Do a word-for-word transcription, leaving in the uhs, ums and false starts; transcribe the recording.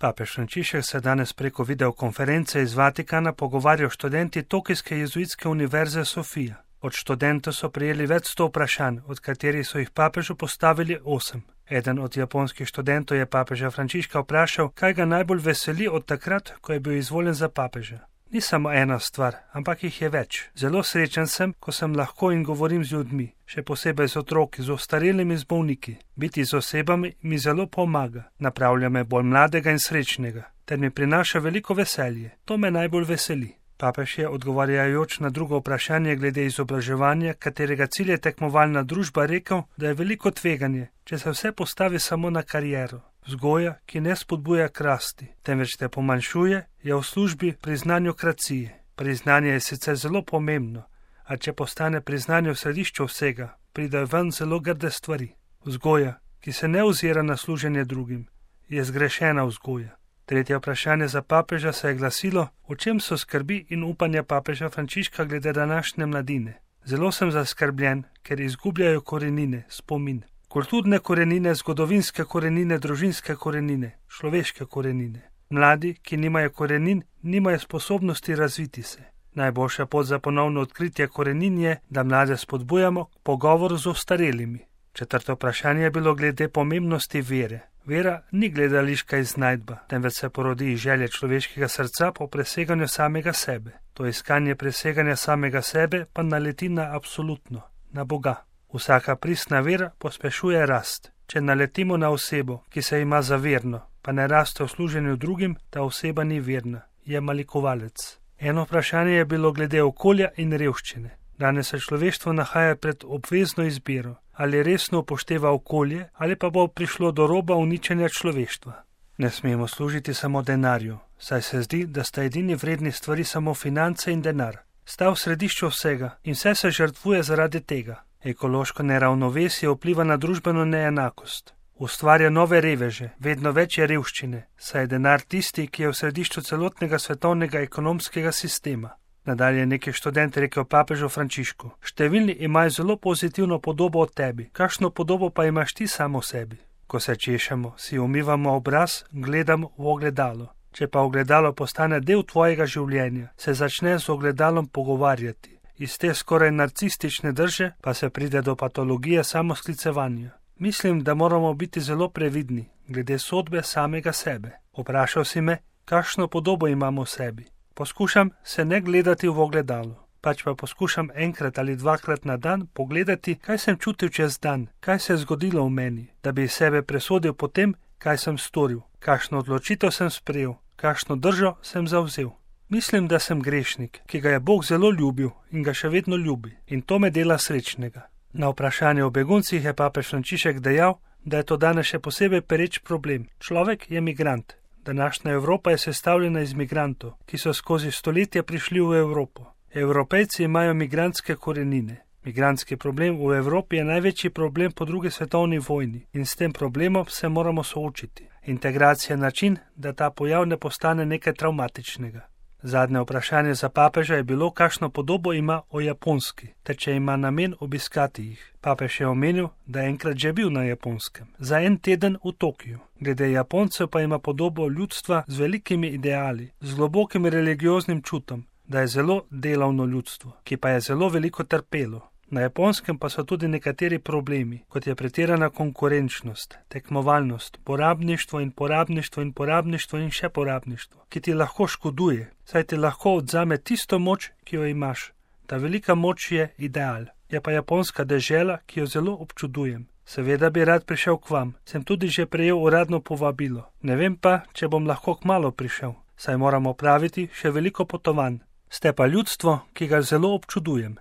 Papež Frančišek se danes preko videokonference iz Vatikana pogovarja o študenti Tokijske jezuitske univerze Sofija. Od študentov so prejeli več sto vprašanj, od katerih so jih papežu postavili osem. Eden od japonskih študentov je papeža Frančiška vprašal, kaj ga najbolj veseli od takrat, ko je bil izvoljen za papeža. Ni samo ena stvar, ampak jih je več. Zelo srečen sem, ko sem lahko in govorim z ljudmi, še posebej z otroki, z ostarelimi, z bolniki. Biti z osebami mi zelo pomaga, napravlja me bolj mladega in srečnega, ter mi prinaša veliko veselje. To me najbolj veseli. Papež je, odgovarjajoč na drugo vprašanje glede izobraževanja, katerega cilj je tekmovalna družba, rekel, da je veliko tveganje, če se vse postavi samo na kariero. Vzgoja, ki ne spodbuja k rasti, temveč te pomanjšuje, je v službi priznanjokracije. Priznanje je sicer zelo pomembno, a če postane priznanje v središču vsega, pridejo ven zelo grde stvari. Vzgoja, ki se ne ozira na služenje drugim, je zgrešena vzgoja. Tretje vprašanje za papeža se je glasilo, o čem so skrbi in upanja papeža Frančiška glede današnje mladine. Zelo sem zaskrbljen, ker izgubljajo korenine, spomin. Kulturne korenine, zgodovinske korenine, družinske korenine, človeške korenine. Mladi, ki nimajo korenin, nimajo sposobnosti razviti se. Najboljša pot za ponovno odkritje korenin je, da mlade spodbujamo k pogovoru z ostarelimi. Četrto vprašanje je bilo glede pomembnosti vere. Vera ni gledališka iznajdba, temveč se porodi iz želje človeškega srca po preseganju samega sebe. To iskanje preseganja samega sebe pa naleti na absolutno, na Boga. Vsaka pristna vera pospešuje rast. Če naletimo na osebo, ki se ima za verno, pa ne raste v služenju drugim, ta oseba ni verna, je malikovalec. Eno vprašanje je bilo glede okolja in revščine. Danes se človeštvo nahaja pred obvezno izbiro, ali resno upošteva okolje, ali pa bo prišlo do roba uničenja človeštva. Ne smemo služiti samo denarju, saj se zdi, da sta edini vredni stvari samo finance in denar. Sta v središču vsega in vse se žrtvuje zaradi tega. Ekološko neravnovesje vpliva na družbeno neenakost. Ustvarja nove reveže, vedno večje revščine, saj je denar tisti, ki je v središču celotnega svetovnega ekonomskega sistema. Nadalje je neki študent rekel papežu Frančišku: številni imajo zelo pozitivno podobo o tebi, kakšno podobo pa imaš ti samo o sebi? Ko se češemo, si umivamo obraz, gledamo v ogledalo. Če pa ogledalo postane del tvojega življenja, se začne z ogledalom pogovarjati. Iz te skoraj narcistične drže pa se pride do patologije samosklicevanja. Mislim, da moramo biti zelo previdni glede sodbe samega sebe. Vprašal si me, kakšno podobo imamo v sebi. Poskušam se ne gledati v ogledalo, pač pa poskušam enkrat ali dvakrat na dan pogledati, kaj sem čutil čez dan, kaj se je zgodilo v meni, da bi sebe presodil po tem, kaj sem storil, kakšno odločitev sem sprejel, kakšno držo sem zavzel. Mislim, da sem grešnik, ki ga je Bog zelo ljubil in ga še vedno ljubi, in to me dela srečnega. Na vprašanje o beguncih je papež Frančišek dejal, da je to danes še posebej pereč problem. Človek je migrant. Današnja Evropa je sestavljena iz migrantov, ki so skozi stoletja prišli v Evropo. Evropejci imajo migrantske korenine. Migrantski problem v Evropi je največji problem po drugi svetovni vojni in s tem problemom se moramo soočiti. Integracija je način, da ta pojav ne postane nekaj travmatičnega. Zadnje vprašanje za papeža je bilo, kakšno podobo ima o Japonski, ter če ima namen obiskati jih. Papež je omenil, da je enkrat že bil na Japonskem, za en teden v Tokiju. Glede Japoncev pa ima podobo ljudstva z velikimi ideali, z globokim religioznim čutom, da je zelo delavno ljudstvo, ki pa je zelo veliko trpelo. Na Japonskem pa so tudi nekateri problemi, kot je pretirana konkurenčnost, tekmovalnost, porabništvo in porabništvo in porabništvo in še porabništvo, ki ti lahko škoduje, saj ti lahko odzame tisto moč, ki jo imaš. Ta velika moč je ideal. Je pa Japonska dežela, ki jo zelo občudujem. Seveda bi rad prišel k vam, sem tudi že prejel uradno povabilo. Ne vem pa, če bom lahko kmalu prišel, saj moramo praviti še veliko potovanj. Ste pa ljudstvo, ki ga zelo občudujem.